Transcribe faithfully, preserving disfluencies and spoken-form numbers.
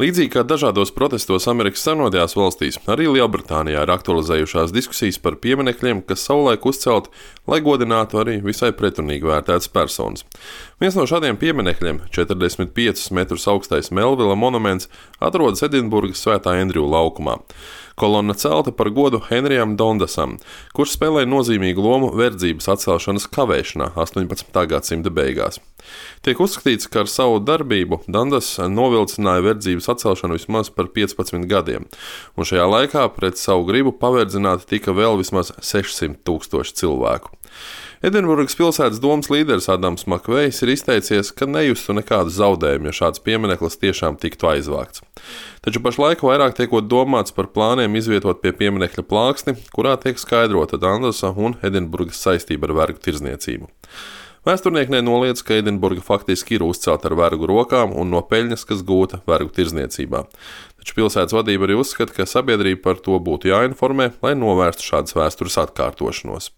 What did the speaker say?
Līdzīgi kā dažādos protestos Amerikas Savienotajās valstīs, arī Lielbritānijā ir aktualizējušās diskusijas par pieminekļiem, kas savulaik uzcelti, lai godinātu arī visai pretrunīgi vērtētas personas. Viens no šādiem pieminekļiem, četrdesmit piecus metrus augstais Melvila monuments, atrodas Edinburgas Svētā Endriju laukumā. Kolonna celta par godu Henrijam Dondasam, kurš spēlēja nozīmīgu lomu verdzības atcelšanas kavēšanā astoņpadsmitā gadsimta beigās. Tiek uzskatīts, ka ar savu darbību Dundas novilcināja verdzības atcelšanu vismaz par piecpadsmit gadiem, un šajā laikā pret savu gribu paverdzināti tika vēl vismaz sešsimt tūkstoši cilvēku. Edinburgas pilsētas domas līderis Adams Makvejs ir izteicies, ka nejustu nekādu zaudējumu, ja šāds piemineklis tiešām tiktu aizvākts. Taču pašlaik vairāk tiekot domāts par plāniem izvietot pie pieminekļa plāksni, kurā tiek skaidrota Dundasa un Edinburgas saistība ar vergu tirdzniecību. Vēsturnieki nenoliedz, ka Edinburga faktiski ir uzcelta ar vergu rokām un no peļņas, kas gūta vergu tirdzniecībā. Taču pilsētas vadība arī uzskata, ka sabiedrība par to būtu jāinformē, lai novērstu šādas vēstures atkārtošanos.